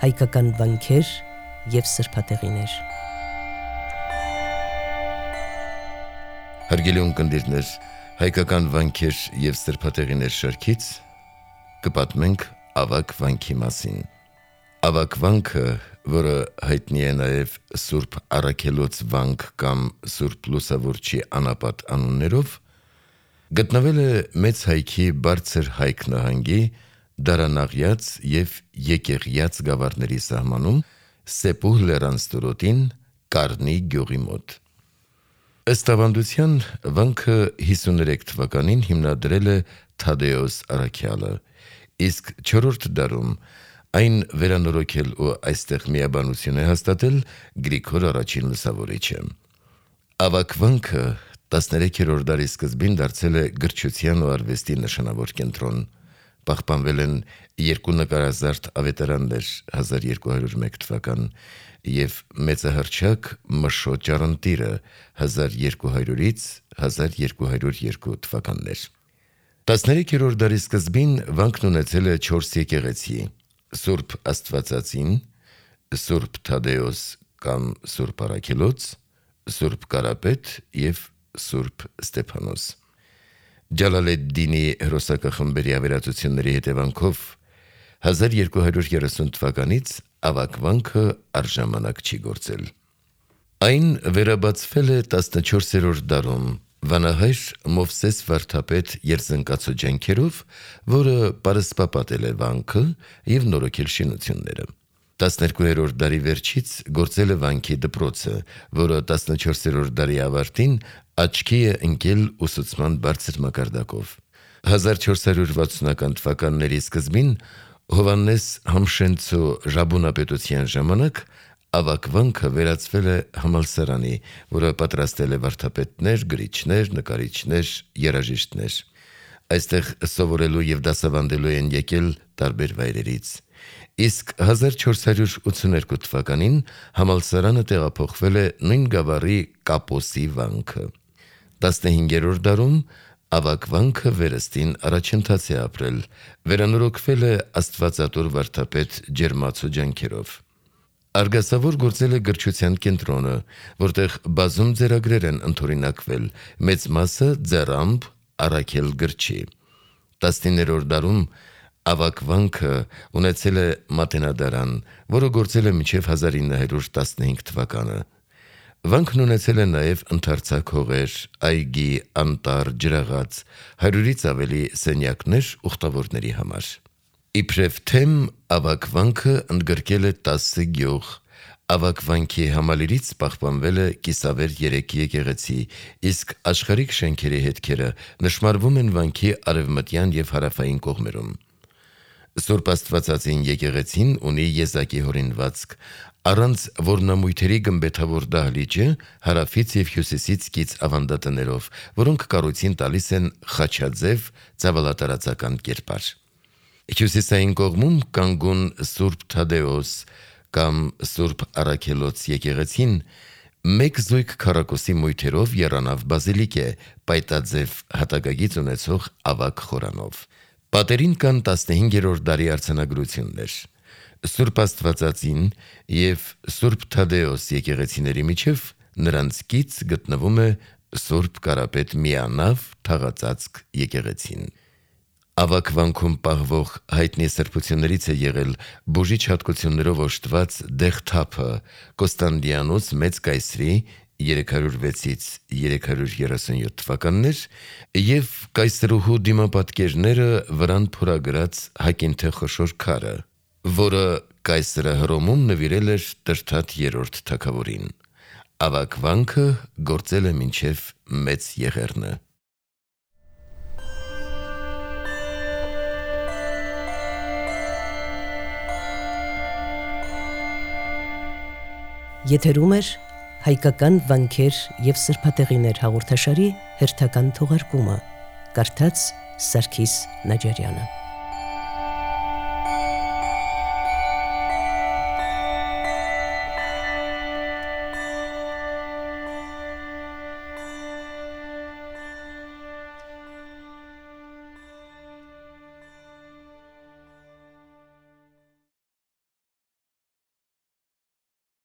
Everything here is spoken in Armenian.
հայկական վանքեր և սրբատեղիներ։ Հարգելի ունկնդիրներ, հայկական վանքեր և սրբատեղիներ շարքից կպատմենք ավագ վանքի մասին։ Ավագ վանքը, որը հայտնի է նաև Սուրբ Առաքելոց վանք կամ Սուրբ Լուսավորչի անապատ անուններով, գտնվել է Մեծ Հայքի Բարձր Հայք նահանգի Դարանաղյաց և Եկեղյաց գավառների սահմանում Սեպուհ լեռան ստորոտին Կարնի գյուղի մոտ։ Ըստ ավանդության, վանքը 53 թվականին հիմնադրել է Թադեոս առաքյալը, իսկ 4-րդ դարում այն վերանորոգել ու այստեղ միաբանություն է հաստատել Գրիգոր I Լուսավորիչը։ Ավագ վանքը 13-րդ դարի սկզբին դարձել է գրչության ու արվեստի նշանավոր կենտրոն։ Պահպանվել են 2 նկարազարդ ավետարաններ 1201 թվական և մեծահռչակ Մշո ճառընտիրը 1200-ից 1202 թվականներ։ 13-րդ դարի սկզբին վանքն ունեցել է 4 եկեղեցի՝ Սուրբ Աստվածածին, Սուրբ Թադեոս կամ Սուրբ Առաքելոց, Սուրբ Կարապետ և Սուրբ Ստեփանոս։ Ջալալեդդինի հրոսակախմբերի ավերածությունների հետևանքով 1230 թվականից ավագ վանքը առժամանակ չի գործել։ Այն վերաբացվել է 14-րդ դարում վանահայր Մովսես վարդապետ Երզնկացու ջանքերով, որը պարսպապատել է վանքը և նորոգել շինությունները։ 12-րդ դարի վերջից գործել է վանքի դպրոցը, որը 14-րդ դարի ավարտին աչքի է ընկել ուսուցման բարձր մակարդակով։ 1460-ական թվականների սկզբին Հովհաննես Համշենցու Ժաբունապետության ժամանակ ավագ վանքը վերածվել է համալսարանի, որը պատրաստել է վարդապետներ, գրիչներ, նկարիչներ, երաժիշտներ։ Այստեղ սովորելու և դասավանդելու են եկել տարբեր վայրերից։ Իսկ 1482 թվականին համալսարանը տեղափոխվել է նույն գավառի Կապոսի վանքը։ 15-րդ դարում ավագ վանքը վերստին առաջընթաց է ապրել, վերանորոգվել է աստվածատուր վարդապետ Ջերմացու ջանքերով։ Արգասավոր գործել է գրչության կենտրոնը, որտեղ բազում ձեռագրեր են ընդօրինակվել, մեծ մասը ձեռամբ Առաքել գրչի։ 19-րդ դարում ավագ վանքը ունեցել է մատենադարան, որը գործել է մինչև 1915 թվականը։ Վանքն ունեցել է նաև ընդարձակ հողեր, այգի, անտառ, ջրաղաց, 100-ից ավելի սենյակներ ուխտավորների համար։ Իբրև թեմ ավագ վանքը ընդգրկել է 10 գյուղ։ Ավագ վանքի համալիրից պահպանվել է կիսավեր 3 եկեղեցի, իսկ աշխարհիկ շենքերի հետքերը նշմարվում են վանքի արևմտյան և հարավային կողմերում։ Սուրբ Աստվածածին եկեղեցին ունի եզակի հորինվածք, առանց որնամույթերի գմբեթավոր դահլիճը հարավից և հյուսիսից կից ավանդատներով, որոնք կառույցին տալիս են խաչաձև ծավալատարածական կերպար։ Հյուսիսային կողմում կանգուն Սուրբ Թադեոս կամ Սուրբ Առաքելոց եկեղեցին մեկ զույգ քառակուսի մույթերով եռանավ բազիլիկ է, պայտաձև հատակագիծ ունեցող ավագ խորանով։ Պատերին կան 15-րդ դարի արձանագրություններ։ Սուրբ Աստվածածին և Սուրբ Թադեոս եկեղեցիների միջև նրանց կից գտնվում է Սուրբ Կարապետ միանավ թաղածածկ եկեղեցին։ Ավագ վանքում պահվող հայտնի սրբություններից է եղել բուժիչ հատկություններով օժտված դեղթափը Կոստանդիանոս Մեծ կայսրի 306-ից 337 թվականներ և կայսրուհու դիմապատկերները վրան փորագրած հակինթե խոշոր քարը, որը կայսրը Հռոմում նվիրել էր Տրդատ III թագավորին։ Ավագ վանքը գործել է մինչև Մեծ Եղեռնը։ Եթերում է հայկական վանքեր և սրբատեղիներ հաղորդաշարի հերթական թողարկումը։ Կարդաց Սարգիս Նաջարյանը։